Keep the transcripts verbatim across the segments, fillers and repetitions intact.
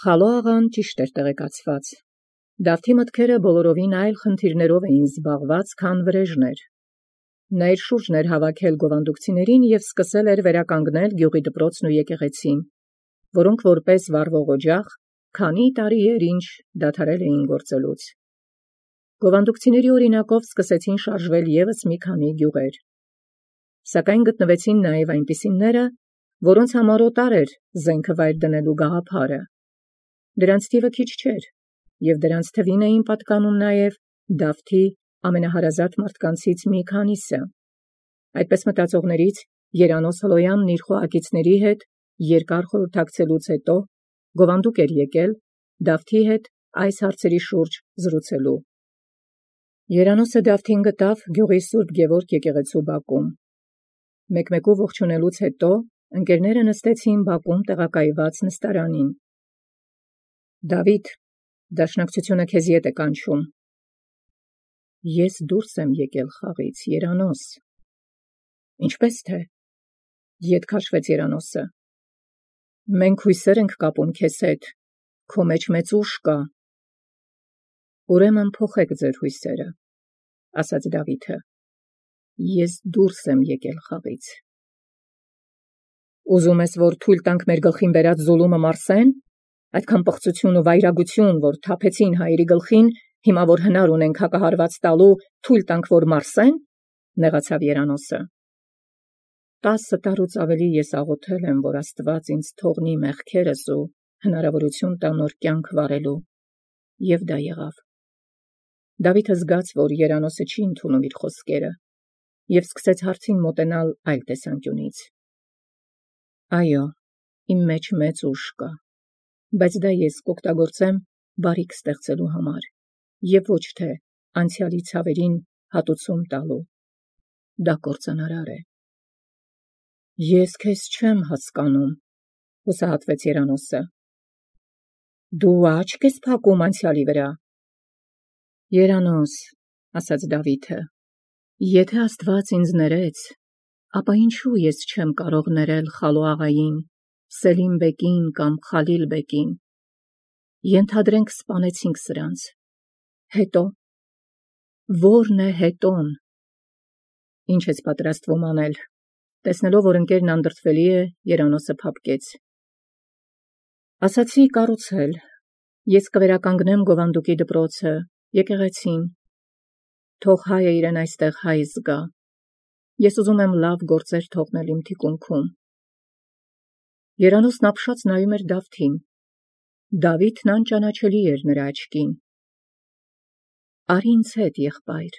Խալո աղան ճիշտ էր տեղեկացված։ Դավթի մտքերը բոլորովին այլ խնդիրներով էին զբաղված, քան վրեժներ։ Նա իր շուրջն էր հավաքել գովանդուկցիներին և սկսել էր վերականգնել գյուղի դպրոցն ու եկեղեցին, որոնք որպես վառվող օջախ քանի տարի էր ինչ դադարել էին գործելուց։ Գովանդուկցիների օրինակով սկսեցին շարժվել ևս մի քանի գյուղեր։ Սակայն գտնվեցին նաև այնպիսիները, որոնց համար օտար էր զենքը վայր դնելու գաղափարը։ Դրանց թիվը քիչ չէր, և դրանց թվին էին պատկանում նաև Դավթի ամենահարազատ մարդկանցից մի քանիսը։ Այդպես մտածողներից Երանոս Հլոյանն իր խոհակիցների հետ երկար խորհրդակցելուց հետո գովանդուկ էր եկել Դավթի հետ այս հարցերի շուրջ զրուցելու։ Երանոսը Դավթին գտավ գյուղի Սուրբ Գևորգ եկեղեցու բակում։ Մեկ-մեկու ողջունելուց հետո ընկերները նստեցին բակում տեղակայված նստարանին։ Դավիթ, դաշնակցությունը քեզ ետ է կանչում։ Ես դուրս եմ եկել խաղից, Երանոս։ Ինչպես թե, ետ քաշվեց Երանոսը։ Մենք հույսեր ենք կապում քեզ հետ, քո մեջ մեծ ուժ կա։ Ուրեմն փոխեք ձեր հույսերը, ասաց Դավիթը։ Ես դուրս եմ եկել խաղից։ Ուզում ես, որ թույլ տանք մեր գլխին բերած զուլումը մարսեն, այդքան պղծություն ու վայրագություն, որ թափեցին հայերի գլխին, հիմա որ հնար ունենք հակահարված տալու, թույլ տանք, որ մարսեն, նեղացավ Երանոսը։ Տասը տարուց ավելի ես աղոթել եմ, որ Աստված ինձ թողնի մեղքերս ու հնարավորություն տա նոր կյանք վարելու, և դա եղավ։ Դավիթը զգաց, որ Երանոսը չի ընդունում իր խոսքերը, և սկսեց հարցին մոտենալ այլ տեսանկյունից։ Այո, իմ մեջ մեծ ուժ կա, բայց դա ես կօգտագործեմ բարիք ստեղծելու համար, և ոչ թե անցյալի ցավերին հատուցում տալու։ Դա կործանարար է։ Ես քեզ չեմ հասկանում, հուսահատվեց Երանոսը։ Դու աչք ես փակում անցյալի վրա։ Երանոս, ասաց Դավիթը, եթե Աստված ինձ ներեց, ապա ինչու ես չեմ կարող ներել Խալո աղային, Սելիմ բեկին կամ Խալիլ բեկին։ Ենթադրենք սպանեցինք սրանց։ Հետո։ Ո՞րն է հետոն։ Ինչ ես պատրաստվում անել։ Տեսնելով, որ ընկերն անդրդվելի է, Երանոսը փափկեց։ Ասացի կառուցել։ Ես կվերականգնեմ գովանդուկի դպրոցը, եկեղեցին։ Թող հայը իրեն այստեղ հայ զգա։ Ես ուզում եմ լավ գործեր թողնել իմ թիկունքում։ Երանոսն ապշած նայում էր Դավթին։ Դավիթն անճանաչելի էր նրա աչքին։ Արի ինձ հետ, եղբայր,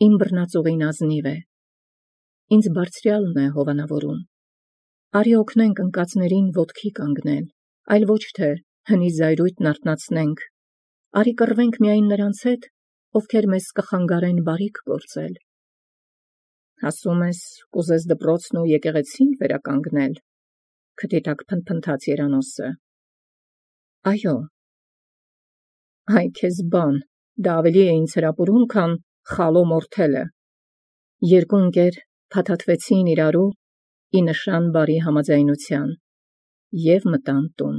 իմ բռնածուղին ազնիվ է։ Ինձ բարձրյալն է հովանավորում։ Արի օգնենք ընկածներին ոտքի կանգնել, այլ ոչ թե հնի զայրույթն արթնացնենք։ Արի կռվենք միայն նրանց հետ, ովքեր մեզ կխանգարեն բարիք գործել։ Ասում ես, կուզես դպրոցն ու եկեղեցին վերականգնել, քթի տակ փնթփնթաց Երանոսը։ Այո։ Այ քեզ բան, դա ավելի է ինձ հրապուրում, քան Խալո մորթելը։ Երկու ընկեր փաթաթվեցին իրարու ի նշան բարի համաձայնության և մտան տուն։